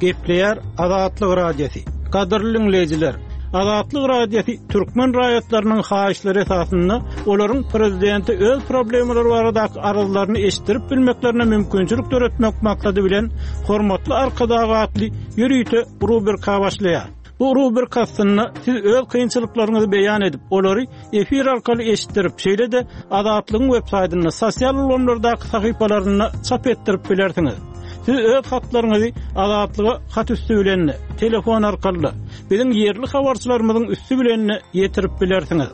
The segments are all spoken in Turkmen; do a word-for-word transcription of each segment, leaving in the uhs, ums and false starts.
Gepleýär Azatlyk Radiosy. Gadyrly dinleýjiler, Azatlyk Radiosy türkmen raýatlarynyň haýyşlary esasynda olaryň prezidenti öz problemalary baradaky arzlaryny eşitdirip bilmeklerine mümkinçilik döretmek maksady bilen hormatly Arkadag atly ýörite rubrika başlaýar. Bu rubrika aslynda siz öz kynçylyklaryňyzy beýan edip, olary efir arkaly eşitdirip, şeýle-de Azatlygyň web saýtynda, sosial ulgamlardaky sahypalarynda çap etdirip bilersiňiz. Siz öz hatlaryňyzy Azatlyga hat üstü bilen, telefon arkaly, biziň ýerli habarçylarymyzyň üstü bilen ýetirip bilersiňiz.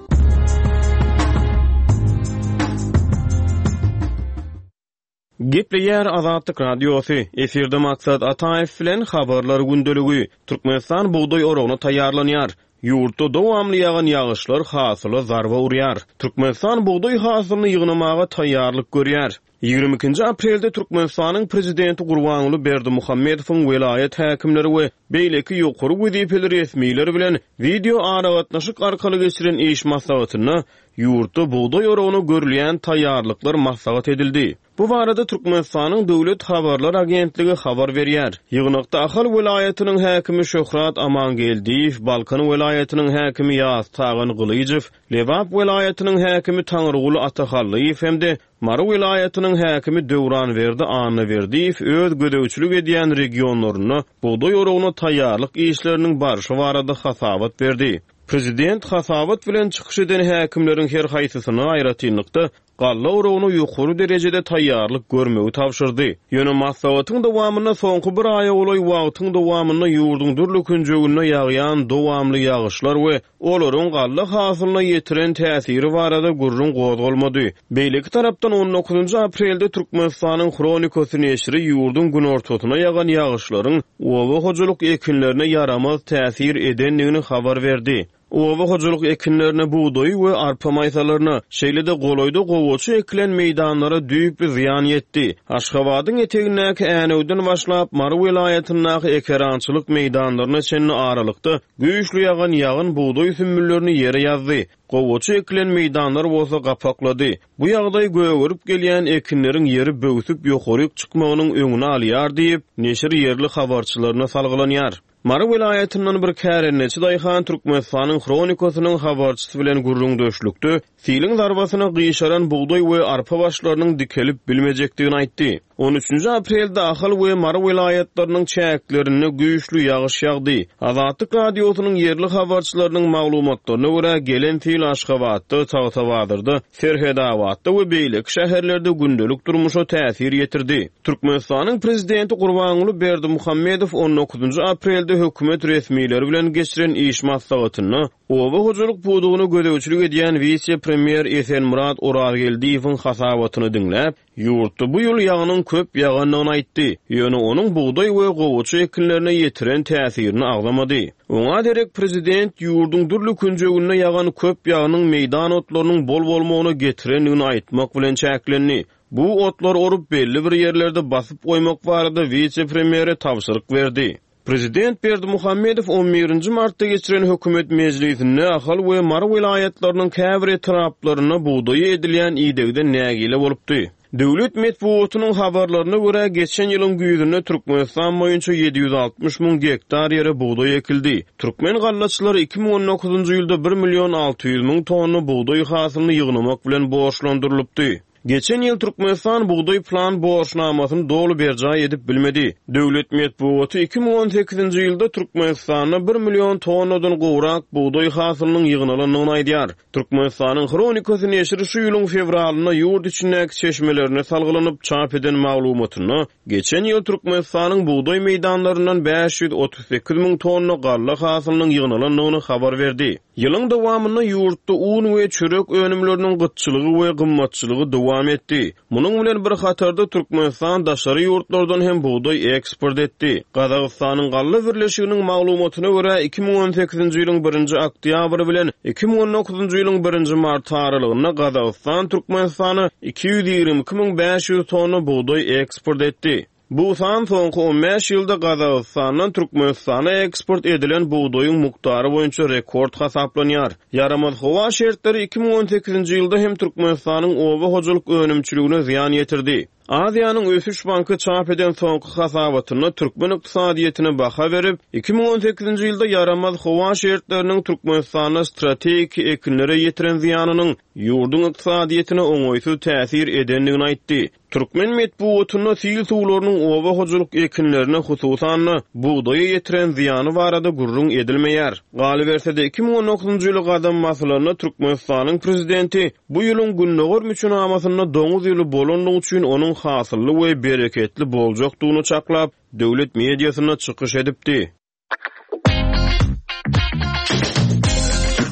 Gepleýär Azatlyk Radiosy. Efirde Maksat Ataýew bilen habarlar gündeligi. Türkmenistan bugdaý oragyna taýýarlanýar. Ýurtda dowamly ýagan ýagyşlar hasyla zarba urýar. Türkmenistan bugdaý hasylyny ýygnamaga taýýarlyk görýär. Ýigrimi ikinji aprelde Türkmenistanyň prezidenti Gurbanguly Berdimuhamedowyň welaýat häkimleri we beýleki ýokary wezipeli resmiler bilen wideo aragatnaşyk arkaly geçiren iş maslahatynda ýurtda bugdaý oragyna görülýän taýýarlyklar maslahat edildi. Bu barada Türkmenistanyň Döwlet habarlar agentligi habar berýär. Ýygnakda Ahal welaýatynyň häkimi Şöhrat Amangeldiýew, Balkan welaýatynyň häkimi Ýaz Tagan Gylyjow, Lebap welaýatynyň häkimi Taňryguly Atahallyýew hem-de Mary welaýatynyň häkimi Döwranberdi Annaberdiýew öz gözegçilik edýän regionlarynda bugdaý oragyna taýýarlyk işleriniň barşy barada hasabat berdi. Prezident hasabat bilen çykyş eden häkimleriň her haýsysyna aýratynlykda galla oragyna ýokary derejede taýýarlyk görmegi tabşyrdy. Ýöne maslahatyň dowamynda soňky bir aýa golaý wagtyň dowamynda ýurduň dürli künjeginde ýagýan dowamly ýagyşlar we olaryň galla hasylyna ýetiren täsiri barada gürrüň gozgalmady. Beýleki tarapdan on dokuzynjy aprelde Türkmenistanyň Hronikasy neşiri ýurduň günortasyna ýagan ýagyşlaryň oba hojalyk ekinlerine ýaramaz täsir edendigini habar berdi. Oba hojalyk ekinlerine bugdaý we arpa maýsalaryna, şeýle-de golaýda gowaça ekilen meýdanlara düýpli zyýan ýetdi. Aşgabadyň etegindäki Änewden başlap Mary welaýatyndaky ekerançylyk meýdanlaryna çenli aralykda güýçli ýagan ýagyn bugdaý sümmüllerini ýere ýazdy. Gowaça ekilen meýdanlar bolsa gapaklady. Bu ýagdaý gögerip gelýän ekinleriň ýeri böwsüp ýokaryk çykmagynyň öňüni alýar diýip, neşir ýerli habarçylaryna salgylanýar. Mary welaýatyndan bir kärendeçi daýhan Türkmenistanyň Hronikasynyň habarçysy bilen gürrüňdeşlikde siliň zarbasyna gyşaran bugdaý we arpa başlarynyň dikelip bilmejekdigini aýtdy. On üçünji aprelde Ahal we Mary welaýatlarynyň çäklerinde güýçli ýagyş ýagdy. Azatlyk Radiosynyň ýerli habarçylarynyň maglumatlaryna görä gelen sil Aşgabatda, Tagtabazarda, Serhedabatda we beýleki şäherlerde gündelik durmuşa täsir ýetirdi. Türkmenistanyň prezidenti Gurbanguly Berdimuhamedow on dokuzynjy aprelde hökümet resmileri bilen geçiren iş maslahatynda oba hojalyk pudagyna gözegçilik edýän wise-premýer Esenmyrat Orazgeldiýewiň hasabatyny diňläp, ýurtda bu ýyl ýagynyň köp ýagandygyny aýtdy. Ýöne onuň bugdaý we gowaça ekinlerine ýetiren täsirini agzamady. Oňa derek prezident ýurduň dürli künjeginde ýagan köp ýagynyň meýdan otlarynyň bol bolmagyna getirendigini aýtmak bilen çäklendi. Bu otlar orup belli bir ýerlerde basyp goýmak barada wise-premýere tabşyryk berdi. Prezident Berdimuhamedow on birinji martda geçiren hökümet mejlisinde Ahal we Mary welaýatlarynyň käbir etraplarynda bugdaýy edilýän idegden nägile bolupdy. Döwlet metbugatynyň habarlaryna görä geçen ýylyň güýzünde Türkmenistan boýunça ýedi ýüz altmyş müň gektar ýere bugdaý ekildi. Türkmen gallaçylary iki müň on dokuzynjy ýylda bir million alty ýüz müň tonna bugdaý hasylyny ýygnamak bilen borçlandyrylypdy. Geçen ýyl Türkmenistan bugdaý plan borçnamasyny doly berjaý edip bilmedi. Döwlet metbugaty iki müň on sekizinji ýylda Türkmenistanda bir million tonnadan gowrak bugdaý hasylynyň ýygnalandygyny aýdýar. Türkmenistanyň Hronikasy neşiri şu ýylyň fewralynda ýurt içindäki çeşmelerine salgylanyp çap eden maglumatynda geçen ýyl Türkmenistanyň bugdaý meýdanlaryndan bäş ýüz otuz sekiz müň tonna galla hasylynyň ýygnalandygyny habar berdi. Ýylyň dowamynda ýurtda un we çörek önümleriniň gytçylygy we gymmatçylygy dowam etdi. Munuň bilen bir hatarda Türkmenistan daşary ýurtlardan hem bugdaý eksport etdi. Gazagystanyň Galla Birleşiginiň maglumatyna görä iki müň on sekizinji ýylyň birinji oktýabry bilen iki müň on dokuzynjy ýylyň birinji mart aralygynda Gazagystan Türkmenistana iki ýüz ýigrimi iki müň bäş ýüz tonna bugdaý eksport etdi. Bu san soňky on bäş ýylda Gazagystandan Türkmenistana eksport edilen bugdaýyň mukdary boýunça rekord hasaplanýar. Ýaramaz howa şertleri iki müň on sekizinji ýylda hem Türkmenistanyň oba hojalyk önümçiligine zyýan ýetirdi. Aziýanyň Ösüş Banky çap eden soňky hasabatynda türkmen ykdysadyýetine baha berip, iki müň on sekizinji ýylda ýaramaz howa şertleriniň Türkmenistanda strategik ekinlere ýetiren zyýanynyň ýurduň ykdysadyýetine oňaýsyz täsir edendigini aýtdy. Türkmen metbugatynda sil suwlarynyň oba hojalyk ekinlerine, hususan-da bugdaýa ýetiren zyýany barada gürrüň edilmeýär. Galyberse-de iki müň on dokuzynjy ýyly gadam basylanda Türkmenistanyň prezidenti bu ýylyň gündogar müçenamasynda doňuz ýyly bolandygy üçin onuň hasylly we bereketli boljakdygyny çaklap, döwlet mediasynda çykyş edipdi.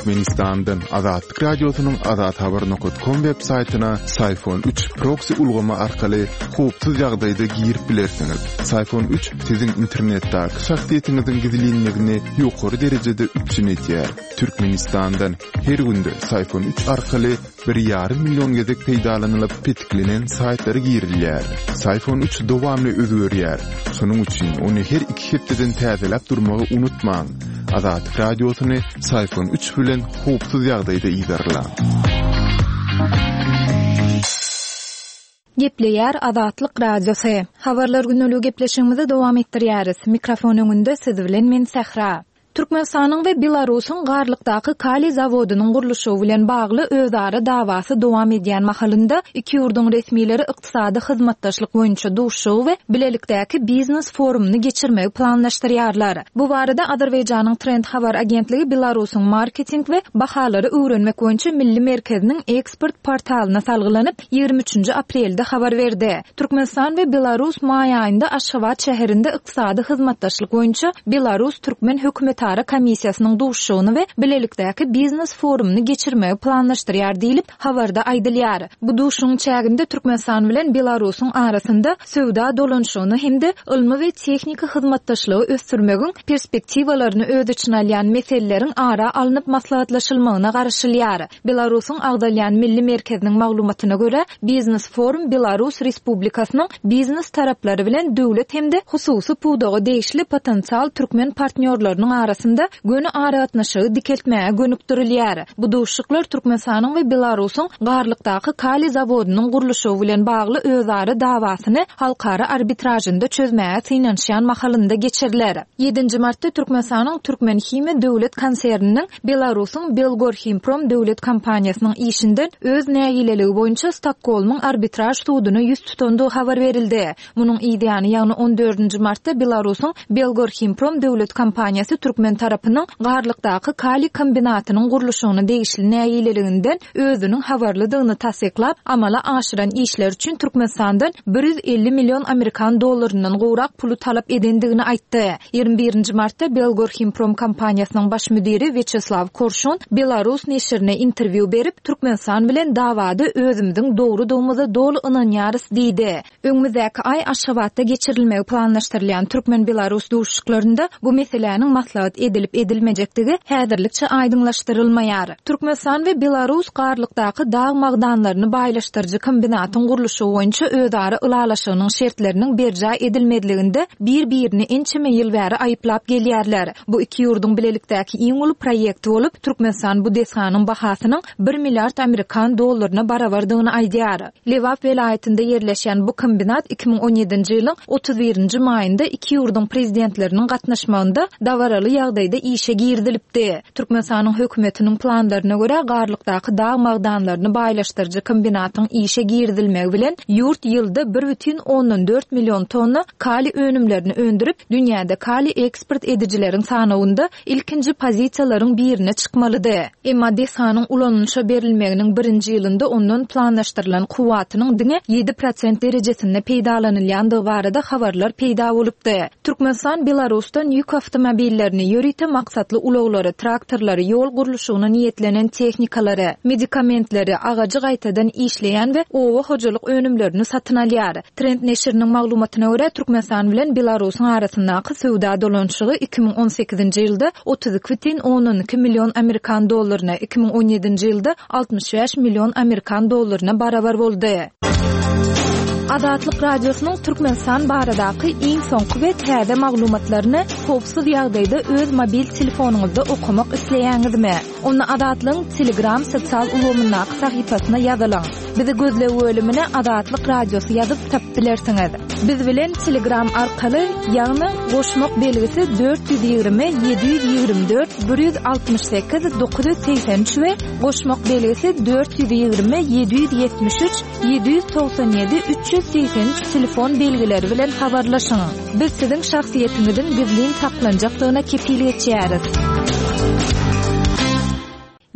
Türkmenistandan Azatlyk Radiosynyň azathabar nokta com web saýtyna Syfon üç proxy ulgamy arkaly howpsuz ýagdaýda girip bilersiňiz. Syfon üç siziň internetdäki şahsyýetiňiziň gizlinligini ýokary derejede üpjün edýär. Türkmenistandan her günde Syfon üç arkaly bir ýarym million gezek peýdalanylyp petiklenen saýtlara girilýär. Syfon üç dowamly özgerýär. Şonuň üçin ony her iki hepdeden täzeläp durmagy unutmaň. Azatlyk Radiosyny Syfon üç bilen howpsuz ýagdaýda ýerleň. Gepleýär Azatlyk Radiosy. Habarlar günlügi gepleşigimizi dowam etdirýäris. Mikrofon öňünde siz bilen men Sähra. Türkmenistanyň we Belarusyň Garlykdaky kaliý zawodynyň gurluşygy bilen bagly özara dawasy dowam edýän mahalynda iki ýurduň resmileri ykdysady hyzmatdaşlyk boýunça duşuşygy we bilelikdäki biznes forumyny geçirmegi planlaşdyrýarlar. Bu barada Azerbaýjanyň Trend habar agentligi Belarusyň marketing we bahalary öwrenmek boýunça milli merkeziniň eksport portalyna salgylanyp ýigrimi üçünji aprelde habar berdi. Türkmenistan we Belarus maý aýynda Aşgabat şäherinde ykdysady hyzmatdaşlyk boýunça Belarus Türkmen hökümeti Ara komissiýasynyň duşuşygyny we bilelikdäki biznes forumyny geçirmegi planlaşdyrýar diýlip habarda aýdylýar. Bu duşuşygyň çäginde Türkmenistan bilen Belarusyň arasynda söwda dolanyşygyny hem-de ylmy we tehniki hyzmatdaşlygy ösdürmegiň perspektiwalaryny öz içine alýan meseleleriň ara alnyp maslahatlaşylmagyna garaşylýar. Belarusyň agzalýan milli merkeziniň maglumatyna görä, biznes forum Belarus Respublikasynyň biznes taraplary bilen döwlet hem-de hususy pudaga degişli potensial türkmen partnýorlarynyň arasynda göni aragatnaşygy dikeltmäge gönükdirilýär. Bu duşuşyklar Türkmenistanyň we Belarusyň Garlykdaky kaliý zawodynyň gurluşygy bilen bagly özara dawasyny halkara arbitrajynda çözmäge synanyşýan mahalynda geçiriler. Ýedinji martda Türkmenistanyň Türkmenhimiýa döwlet konserniniň Belarusyň Belgorhimprom döwlet kompaniýasynyň işinden öz nägileligi boýunça Stokgolmyň arbitraj suduny ýüz tutandygy habar berildi. Munuň ýany, ýagny on dördünji martda Belarusyň Belgorhimprom döwlet kompaniýasy Türkmen tarapynyň Garlykdaky kaliý kombinatynyň gurluşygyna degişli nägileliginden özüniň habarlydygyny tassyklap, amala aşyran işler üçin Türkmenistandan bir ýüz elli million amerikan dollaryndan gowrak puly talap edendigini aýtdy. Ýigrimi birinji martda Belgorhimprom kompaniýasynyň baş müdiri Wýaçeslaw Korşun Belarus neşirine interwýu berip, Türkmenistan bilen dawada özümiziň dogrudygymyza doly ynanýarys diýdi. Öňümizdäki aý Aşgabatda geçirilmegi planlaşdyrylýan Türkmen-Belarus duşuşyklarynda bu meseläniň maslahat edilip edilmejekdigi häzirlikçe aýdyňlaşdyrylmaýar. Türkmenistan we Belarus Garlykdaky dag magdanlaryny baýlaşdyryjy kombinatyň gurluşygy boýunça özara ylalaşygynyň şertleriniň berjaý edilmezliginde bir-birini ençeme ýyl bäri aýyplap gelýärler. Bu iki ýurduň bilelikdäki iň uly proýekti bolup, Türkmenistan bu desganyň bahasynyň bir milliard amerikan dollaryna barabardygyny aýdýar. Lebap welaýatynda ýerleşen bu kombinat iki müň on ýedinji ýylyň otuz birinji maýynda iki ýurduň prezidentleriniň gatnaşmagynda dabaraly ýagdaýda işe girizilipdi. Türkmenistanyň hökümetiniň planlaryna görä Garlykdaky dag magdanlaryny baýlaşdyryjy kombinatyň işe girizilmegi bilen ýurt ýylda bir bütin ondan dört million tonna kaliý önümlerini öndürip, dünýäde kaliý eksport edijileriň sanawynda ilkinji pozisiýalaryň birine çykmalydy. Emma desganyň ulanylyşa berilmeginiň birinji ýylynda ondan planlaşdyrylan kuwwatynyň diňe ýedi prosent derejesinde peýdalanylýandygy barada habarlar peýda bolupdy. Türkmenistan Belarusdan ýük awtomobillerini, ýörite maksatly ulaglary, traktorlary, ýol gurluşygyna niýetlenen tehnikalary, medikamentleri, agajy gaýtadan işleýän we oba hojalyk önümlerini satyn alýar. Trend neşiriniň maglumatyna görä Türkmenistan bilen Belarusyň arasyndaky söwda dolanyşygy iki müň on sekizinji ýylda otuz iki bütin ondan iki million amerikan dollaryna, iki müň on ýedinji ýylda altmyş bäş million amerikan dollaryna barabar boldy. Azatlyk Radiosynyň Türkmenistan baradaky iň soňky we täze maglumatlaryny howpsuz ýagdaýda öz mobil telefonyňyzda okamak isleýäňizmi? Onda Azatlygyň Telegram sosial ulgamyndaky sahypasyna ýazylyň. Bizi gözleg bölümine Azatlyk Radiosy ýazyp tapyp bilersiňiz. Biz bilen Telegram arkaly, ýagny goşmak belgisi dört ýüz ýigrimi ýedi ýüz ýigrimi dört bir ýüz altmyş sekiz dokuz ýüz segsen üç we goşmak belgisi dört ýüz ýigrimi ýedi ýüz ýetmiş üç ýedi ýüz togsan ýedi üç ýüz segsen üç telefon belgileri bilen habarlaşyň. Biz siziň şahsyýetiňiziň gizlin saklanjakdygyna kepil geçýäris.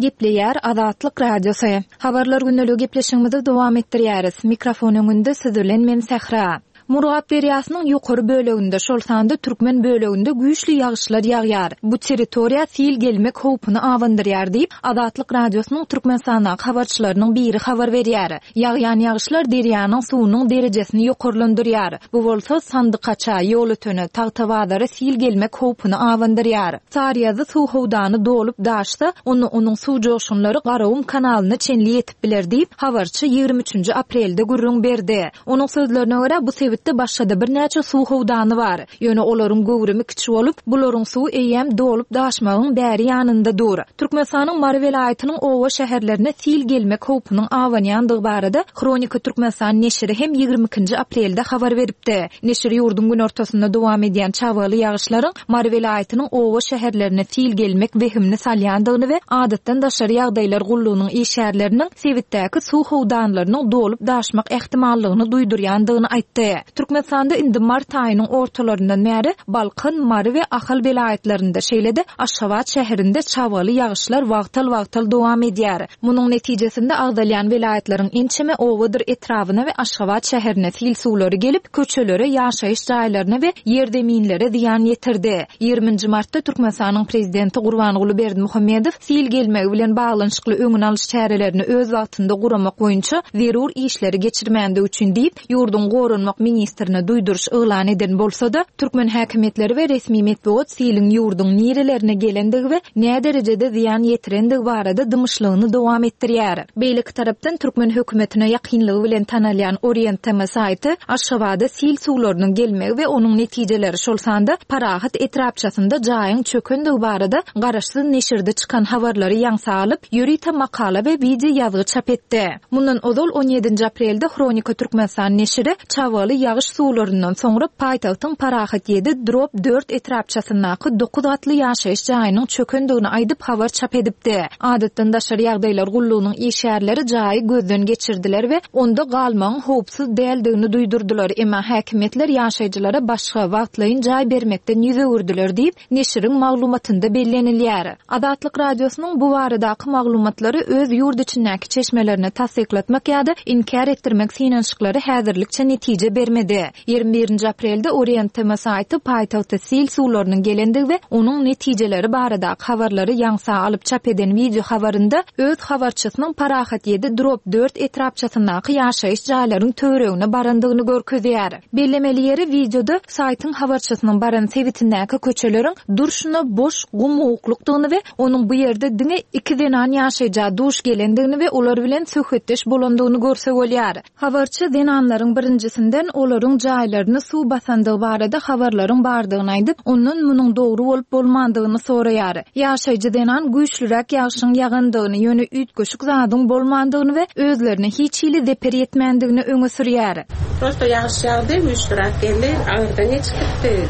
Gepleýär Azatlyk Radiosy. Habarlar gündeligi gepleşigimizi dowam etdirýäris. Mikrofon öňünde siz bilen men Sähra. Murgap derýasynyň ýokary böleginde, şol sanda türkmen böleginde güýçli ýagyşlar ýagýar. Bu territoriýa sil gelmek howpuny abandyrýar diýip, Azatlyk Radiosynyň Türkmenistandaky habarçylarynyň biri habar berýär. Ýagýan ýagyşlar derýanyň suwunyň derejesini ýokarlandyrýar. Bu bolsa Sandykaça, Ýolötene, Tagtabazara sil gelmek howpuny abandyrýar. Saryýazy suw howdany dolup daşsa, onda onuň suw joşgunlary Garagum kanalyna çenli ýetip biler diýip, habarçy ýigrimi üçünji aprelde gürrüň berdi. Onuň sözlerine görä, bu sebitde başga-da birnäçe suw howdany bar. Ýöne olaryň göwrümi kiçi bolup, bularyň suwy eýýäm dolup daşmagyň bäri ýanynda dur. Türkmenistanyň Mary welaýatynyň oba şäherlerine sil gelmek howpunyň abanýandygy barada Hronika Türkmenistan neşiri hem ýigrimi ikinji aprelde habar beripdi. Neşir ýurduň günortasynda dowam edýän çabgaly ýagyşlaryň Mary welaýatynyň oba şäherlerine sil gelmek wehimini salýandygyny we adatdan daşary ýagdaýlar gullugynyň işgärleriniň sebitdäki suw howdanlarynyň dolup daşmak ähtimallygyny duýdurýandygyny aýtdy. Türkmenistanda indi mart aýynyň ortalaryndan bäri Balkan, Mary we Ahal welaýatlarynda, şeýle-de Aşgabat şäherinde çabgaly ýagyşlar wagtal-wagtal dowam edýär. Munuň netijesinde agzalýan welaýatlaryň ençeme obadyr etrabyna we Aşgabat şäherine sil suwlary gelip, köçelere, ýaşaýyş jaýlaryna we ýerzeminlere zyýan ýetirdi. Ýigriminji martda Türkmenistanyň prezidenti Gurbanguly Berdimuhamedow sil gelmegi bilen baglanyşykly öňüni alyş çärelerini öz wagtynda guramak boýunça zerur işleri geçirmändigi üçin diýip, ýurduň goranmak ministrine duýduryş yglan eden bolsa-da, türkmen häkimiýetleri we resmi metbugat siliň ýurduň nirelerine gelendigi we näderejede zyýan ýetirendigi barada dymyşlygyny dowam etdirýär. Beýleki tarapdan türkmen hökümetine ýakynlygy bilen tanalýan Orient T M saýty Aşgabada sil suwlarynyň gelmegi we onuň netijeleri şol sanda Parahat etrapçasynda jaýyň çökendigi barada garaşsyz neşirde çykan habarlary ýaňsa alyp, ýörite makala we wideo ýazgy çap etdi. Mundan ozal on ýedinji aprelde Hronika Türkmenistan neşiri çabgaly ýagyş suwlaryndan soňra paýtagtyň Parahat ýedi drop dört etrapçasyndaky dokuz gatly ýaşaýyş jaýynyň çökendigini aýdyp habar çap edipdi. Adatdan daşary ýagdaýlar gullugynyň işgärleri jaýy gözden geçirdiler we onda galmagyň howpsuz däldigini duýdurdylar. Emma häkimiýetler ýaşaýjylara başga wagtlaýyn jaý bermekden ýüz öwürdiler diýip, neşiriň maglumatynda bellenilýär. Azatlyk Radiosynyň bu baradaky maglumatlary öz ýurt içindäki çeşmelerine tassyklatmak ýa-da inkär etdirmek synanyşyklary häzirlikçe netije bermedi. Ýigrimi birinji aprelde Orient T M saýty paýtagta sil suwlarynyň gelendigi we onuň netijeleri baradaky habarlary ýaňsa alyp çap eden wideo habarynda öz habarçysynyň Parahat ýedi drop dört etrapçasyndaky ýaşaýyş jaýlaryň töweregine barandygyny görkezýär. Bellemeli ýeri wideoda saýtyň habarçysynyň baran sebitindäki köçeleriň durşuna boş gum-guklukdygyny we onuň bu ýerde diňe iki zenan ýaşaýja duş gelendigini we olar bilen söhbetdeş bolandygyny görse bolýar. Habarçy zenanlaryň birinjisinden olaryň jaýlaryny suw basandygy barada habarlaryň bardygyny aýdyp, ondan munuň dogry bolup bolmandygyny soraýar. Ýaşaýjy zenan güýçlüräk ýagşyň ýagandygyny, ýöne üýtgeşik zadyň bolmandygyny we özlerine hiç hili zeper ýetmändigini öňe sürýär. Prosto ýagyş ýagdy, güýçlüräk geldi, aňyrdan geçip gitdi.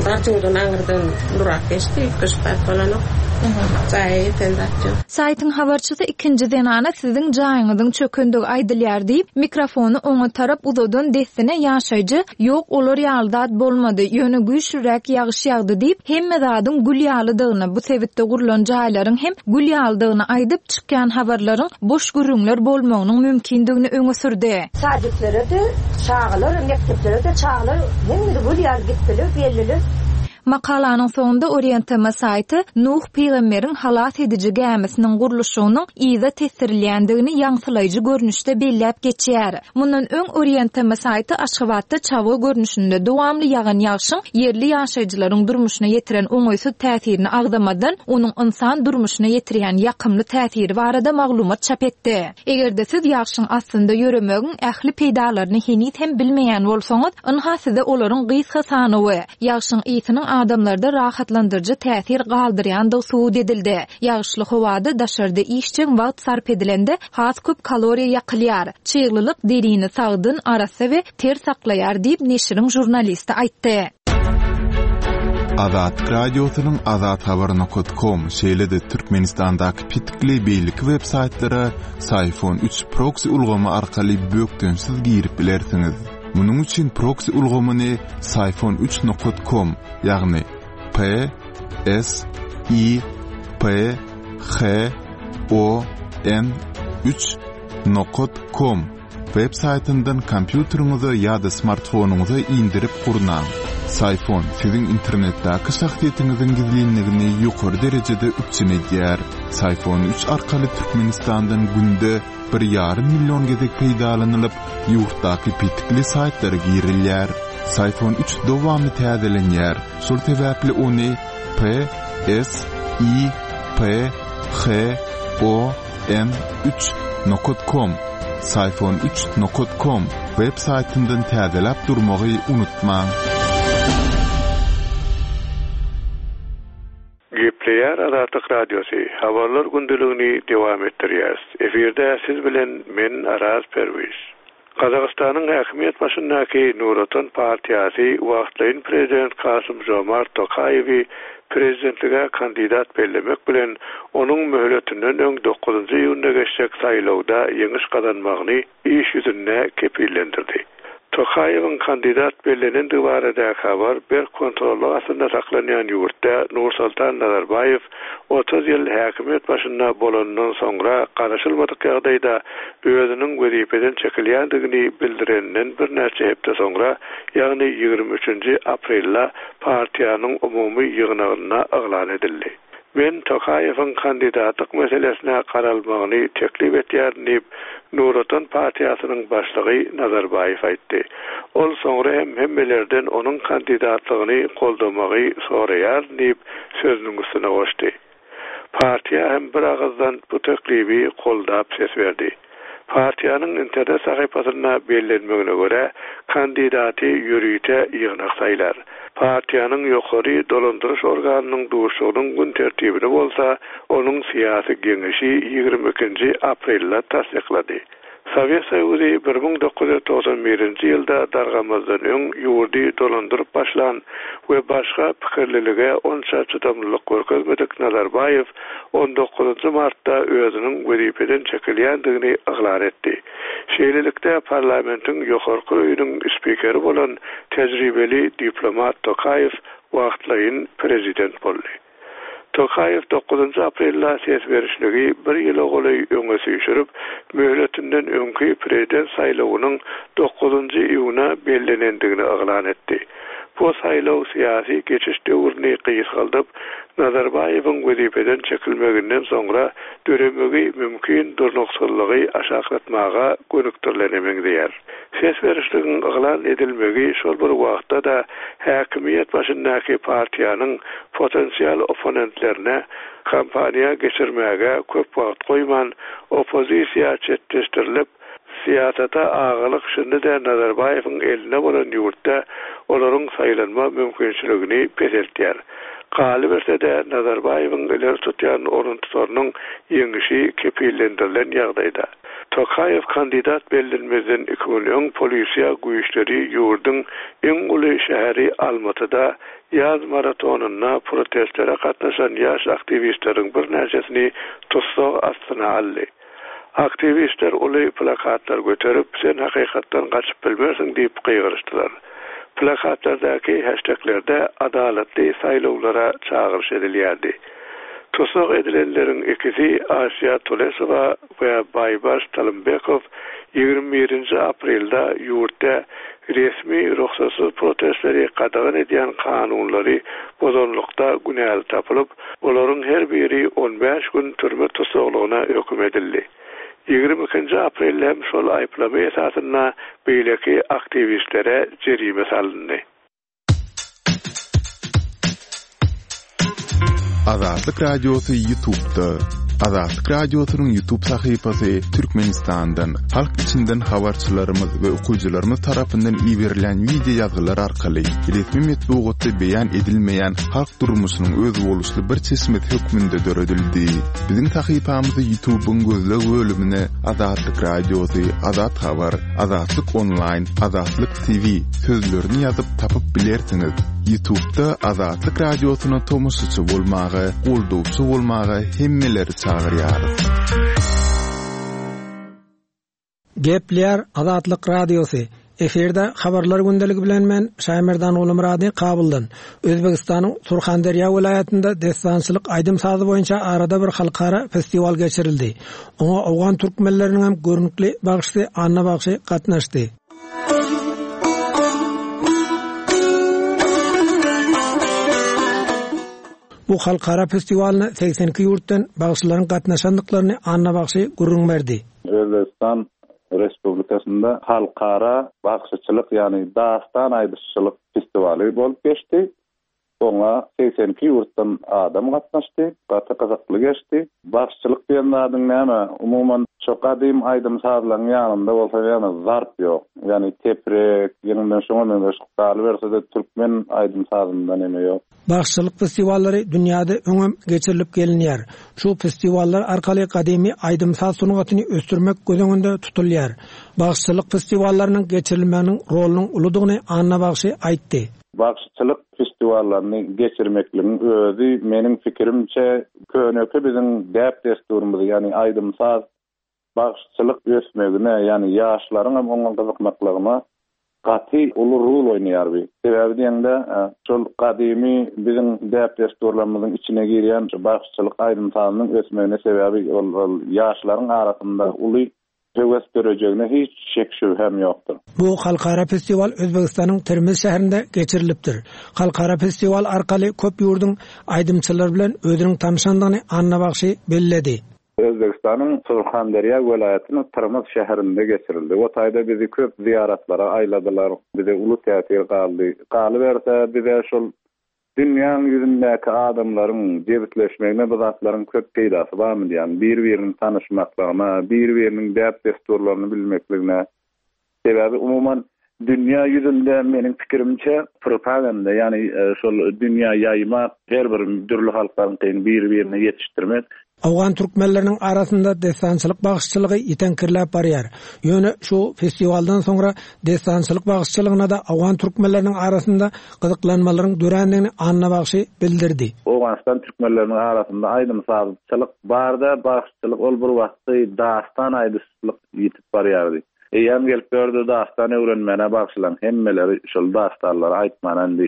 Barjyňdan aňyrdan durak geçdi, üýtgeşik zat bolanok. Jaýa ýeten zat ýok. Saýtyň habarçysy ikinji zenana siziň jaýyňyzyň çökendigi aýdylýar diýip, mikrofony oňa tarap uzadan dessine ýaşaýjy, ýok, olar ýaly zat bolmady, ýöne güýçlüräk ýagyş ýagdy diýip, hemme zadyň gül ýalydygyny, bu sebitde gurlan jaýlaryň hem gül ýalydygyny aýdyp, çykýan habarlaryň boş gürrüňler bolmagynyň mümkindigini öňe sürdi. Sadiklere de çağlar, mekteplere de çağlar, hemme gül ýaly gitdiler, geldiler. Makalanyň soňunda Orient T M saýty Nuh pygamberiň halas ediji gämisiniň gurluşygynyň yza tesdirilýändigini ýaňsylaýjy görnüşde belläp geçýär. Mundan öň Orient T M saýty Aşgabatda çabga görnüşinde dowamly ýagan ýagşyň ýerli ýaşaýjylaryň durmuşyna ýetiren oňaýsyz täsirini agzamadan, onuň ynsan durmuşyna ýetirýän ýakymly täsiri barada maglumat çap etdi. Eger-de siz ýagşyň aslynda ýöremegiň ähli peýdalaryny heniz hem bilmeýän bolsaňyz, ynha size olaryň gysga sanawy. Ýagşyň ysynyň adamlarda rahatlandyryjy täsir galdyrýandygy subut edildi. Ýagyşly howada daşarda işjeň wagt sarp edilende has köp kaloriýa ýakylýar. Çyglylyk derini sagdyn, arassa we ter saklaýar diýip, neşiriň žurnalisti aýtdy. Azatlyk Radiosynyň azathabar nokat kom, şeýle-de Türkmenistandaky petikli beýleki web saýtlara Syfon üç proksi ulgamy arkaly bökdençsiz girip bilersiňiz. Munuň üçin proksi ulgamyny syfon üç nokat kom, ýagny P S I P H O N üç nokat kom web saýtyndan kompýuteriňize ýa-da smartfonyňyza indirip gurnaň. Syfon siziň internetdäki şahsyýetiňiziň gizlinligini ýokary derejede üpjün edýär. Syfon üç arkaly Türkmenistandan günde bir ýarym million gezek peýdalanylyp, ýurtdaky petikli saýtlara girilýär. Syfon üç dowamly täzelenýär. Şol sebäpli ony P S I P H O N üç nokat kom, syfon üç nokat kom web saýtyndan täzeläp durmagy unutmaň. Gepleýär Azatlyk Radiosy, habarlar gündeligini dowam etdirýäris. Efirde siz bilen men Araz Perwiz. Gazagystanyň häkimiýet başyndaky Nur Otan partiýasy wagtlaýyn prezident Kasym Jomart Tokaýewi prezidentlige kandidat bellemek bilen onuň möhletinden öň dokuzynjy iýunda geçjek saýlawda ýeňiş gazanmagyny iş ýüzünde kepillendirdi. Tokaýewiň kandidat bellenendigi baradaky habar berk kontrollyk astynda saklanýan ýurtda Nursultan Nazarbaýew otuz ýyl häkimiýet başynda bolandan soňra garaşylmadyk ýagdaýda özüniň wezipeden çekilýändigini bildirenden birnäçe hepde soňra, ýagny ýigrimi üçünji aprelde partiýanyň umumy ýygnagynda yglan edildi. Men Tokaýewiň kandidatlyk meselesine garalmagyny teklip etýärin diýip, Nur Otan partiýasynyň başlygy Nazarbaýew aýtdy. Ol soňra hem hemmelerden onuň kandidatlygyny goldamagy soraýar diýip, sözüniň üstüne goşdy. Partiýa hem bir agyzdan bu teklibi goldap ses berdi. Partiýanyň internet sahypasynda bellenmegine görä, kandidaty ýörite ýygnak saýlar. Partiýanyň ýokary dolandyryş organynyň duşugynyň gün tertibini bolsa, onuň syýasy geňeşi ýigrimi ikinji aprelde tassyklady. Sowet Soýuzy bir müň dokuz ýüz togsan birinji ýylda dargamazdan öň ýurdy dolandyryp başlan we başga pikirlilige onça çydamlylyk görkezmedik Nazarbaýew on dokuzynjy martda özüniň wezipeden çekilýändigini yglan etdi. Şeýlelikde parlamentiň ýokarky öýüniň spikeri bolan tejribeli diplomat Tokaýew wagtlaýyn prezident boldy. Tokaýew dokuzynjy aprelde ses berişligi bir ýyla golaý öňe süýşürip, möhletinden öňki prezident saýlawynyň dokuzynjy iýuna bellenendigini yglan etdi. Bu saýlaw syýasy geçiş döwrüni gysgaldyp, Nazarbaýewiň wezipeden çekilmeginden soňra döremegi mümkin durnuksyzlygy aşaklatmaga gönükdirilene meňzeýär. Ses berişligiň yglan edilmegi şol bir wagtda-da häkimiýet başyndaky partiýanyň potensial opponentlerine kampaniýa geçirmäge köp wagt goýman, oppozisiýa çetleşdirilip, syýasata agalyk şindi-de Nazarbaýewiň eline bolan ýurtda olaryň saýlanma mümkinçiligini peseltýär. Galyberse-de Nazarbaýewiň ileri tutýan orun tutarynyň ýeňişi kepillendirilen ýagdaýda. Tokaýew kandidat bellenmezden iki gün öň polisiýa güýçleri ýurduň iň uly şäheri Almatyda ýaz maratonynda protestlere gatnaşan ýaş aktiwistleriň birnäçesini tussag astyna aldy. Aktiwistler uly plakatlar göterip, sen hakykatdan gaçyp bilmersiň diýip gygyryşdylar. Plakatlardaky hashtaglerde adalatly saýlawlara çagyryş edilýärdi. Tussag edilenleriň ikisi Asiya Tulesowa we Baýbaş Talymbekow ýigrimi birinji aprelde ýurtda resmi ruhsatsyz protestleri gadagan edýän kanunlary bozanlykda günäli tapylyp, olaryň her biri on bäş gün türme tussaglygyna höküm edildi. Ýigrimi ikinji aprelde hem şol aýyplama esasynda beýleki aktiwistlere jerime salyndy. Azatlyk Radiosy YouTube'da. Azatlyk Radiosynyň YouTube sahypasy Türkmenistandan, halk içinden habarçylarymyz we okyjylarymyz tarapyndan iberilen wideo ýazgylar arkaly resmi metbugatda beýan edilmeýän halk durmuşynyň özboluşly bir çeşmesi hökmünde döredildi. Biziň sahypamyzy YouTube'yň gözleg bölümine Azatlyk Radiosy, Azat Habar, Azatlyk Online, Azatlyk T V sözlerini ýazyp tapyp bilersiňiz. YouTube'da Azatlyk Radiosyna tomaşaçy bolmaga, goldawçy bolmaga hemmeleri çagyrýarys. Gepler Azatlyk Radiosy. Efirde habarlar gündeligi bilen men Şaýmerdan Gulumyrady Kabuldan. Özbegistanyň Surhanderýa welaýatynda destançylyk aýdym sazy boýunça arada bir halkara festiwal geçirildi. Oňa Owgan türkmenleriniň hem görnükli bagşysy Anna bagşy gatnaşdy. Bu halkara festiwalyna seksen iki ýurtdan bagşylaryň gatnaşandyklaryny Anna bagşy gürrüň berdi. Özbegistan Respublikasynda halkara bagşyçylyk, ýagny dastan aýdyşçylyk festiwaly bolup geçdi. Oňa seksen iki ýurtdan adam gatnaşdy. Gaty gyzykly geçdi. Bagşyçylyk diýen zadyň näme? Umuman şo gadym aýdym sazlaryň ýanynda bolsa ýagny zarp ýok. Ýagny teprek, ýeňinden şoňa meňzeş galyberse-de türkmen aýdym sazynda näme ýok. Bagşyçylyk festiwallary dünýäde öňem geçirilip gelinýär. Şu festiwallar arkaly gadymy aýdym saz sungatyny ösdürmek göz öňünde tutulýar. Bagşyçylyk festiwallarynyň geçirilmeginiň rolunyň uludygyny Anna bagşy aýtdy. Bagşyçylyk festiwallaryny geçirmekligiň özi meniň pikirimçe köneki biziň däp desturymyzy, ýagny aýdym saz bagşyçylyk ösmegine, ýagny ýaşlaryň hem oňa gyzykmaklygyna gaty uly rol oýnaýar bi. Sebäbi diýende, e, şol gadymy biziň däp desturlarymyzyň içine girýän şu bagşyçylyk aýdym sazynyň ösmegine sebäbi ol, ol ýaşlaryň arasynda uly höwes dörejegine hiç şek şübhem ýokdur. Bu halkara festiwal Özbegistanyň Termiz şäherinde geçirilipdir. Halkara festiwal arkaly köp ýurduň aýdymçylary bilen özüniň tanşandygyny Anna bagşy belledi. Özbegistanyň Surhanderýa welaýatynyň Termiz şäherinde geçirildi. O taýda bizi köp ziýaratlara aýladylar. Bize uly täsir galdy. Galyberse bize şol dünýäň ýüzündäki adamlaryň jebisleşmegine bu zatlaryň köp peýdasy barmy diýen, bir-biriniň tanyşmaklygyna, bir-biriniň däp desturlaryny bilmekligine. Sebäbi umuman dünýä ýüzünde meniň pikirimçe propaganda, ýagny, e, şol dünýä ýaýmak, her bir dürli halklaryň bir-birine ýetişdirmek. Owgan türkmenleriniň arasynda destançylyk bagşyçylygy ýeteňkirläp barýar. Ýöne şu festiwaldan soňra destançylyk bagşyçylygyna da owgan türkmenleriniň arasynda gyzyklanmalaryň dörändigini Anna bagşy bildirdi. Owganystan türkmenleriniň arasynda aýdym sazçylyk barda, bagşyçylyk ol bir wagtda dastan aýdyşçylyk ýetip barýardy. Eýem gelip gördü dastan öwrenmäne bagşylaryň hemmeleri şol dastanlary aýtmana indi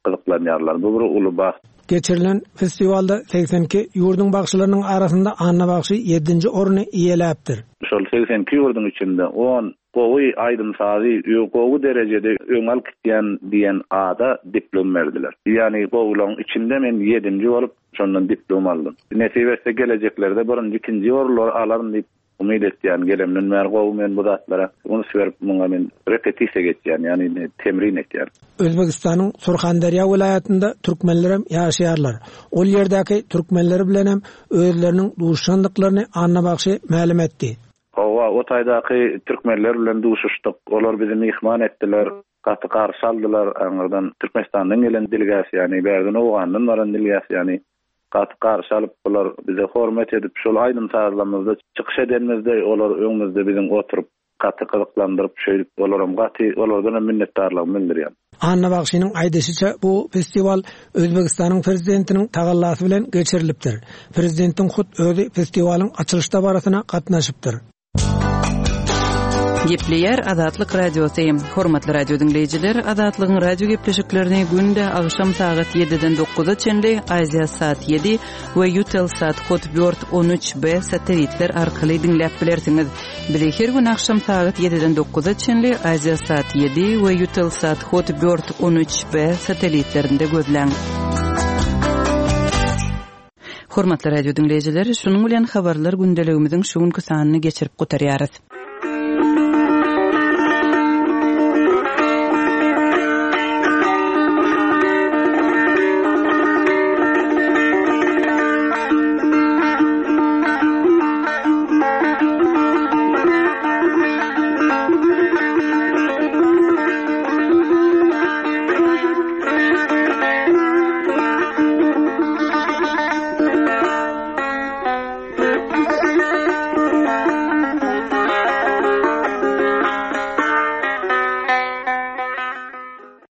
gyzyklanýarlar. Bu bir uly bagt. Geçirilen festiwalda seksen iki ýurduň bagşylarynyň arasynda Anna bagşy ýedinji orny eýeläpdir. Şol seksen iki ýurduň içinde on gowy aýdym sazy gowy derejede öň alyp gitýän diýen ada diplom berdiler. Ýagny gowularyň içinde men ýedinji bolup şondan diplom aldym. Nesip etse geleceklerde birinji, ikinji orunlary alaryn diýip umyt etýän, gelemden bäri gowy men bu zatlara üns berip muňa men repetisiýa geçýän, ýagny temrin etýän. Özbegistanyň Surhanderýa welaýatynda türkmenler hem ýaşaýarlar. Ol ýerdäki türkmenler bilen hem özleriniň duşandyklaryny Anna bagşy mälim etdi. Hawa, o taýdaky türkmenler bilen duşuşdyk. Olar bizi myhman etdiler, gaty garşy aldylar. Aňyrdan Türkmenistandan gelen delegasiýany, ýagny bärden Owgandan baran delegasiýany gaty garşy alyp, bular bize hormat edip, şol aýdym sazlarymyzda çykyş edenimizde olar öňümizde biziň oturyp gaty gyzyklandyryp, şeýdip olaram gaty, olardan hem minnetdarlygymy bildirýän. Anna bagşynyň aýdyşyça bu festiwal Özbegistanyň prezidentiniň tagallasy bilen geçirilipdir. Prezidentiň hut özi festiwalyň açylyş dabarasyna gatnaşypdyr. Gepleýär Azatlyk Radiosy. Hormatly radio diňleýjiler, Azatlygyň radio gepleşiklerini günde agşam sagat ýediden dokuza çenli Aziýa saat ýedi we Eutelsat Hotbird on üç B satelitler arkaly diňläp bilersiňiz. Bizi her gün agşam sagat ýediden dokuza çenli Aziýa saat ýedi we Eutelsat Hotbird on üç B satelitlerinde gözläň. Hormatly radio diňleýjiler, şunuň bilen habarlar gündeligimiziň şu günki sanyny geçirip gutarýarys.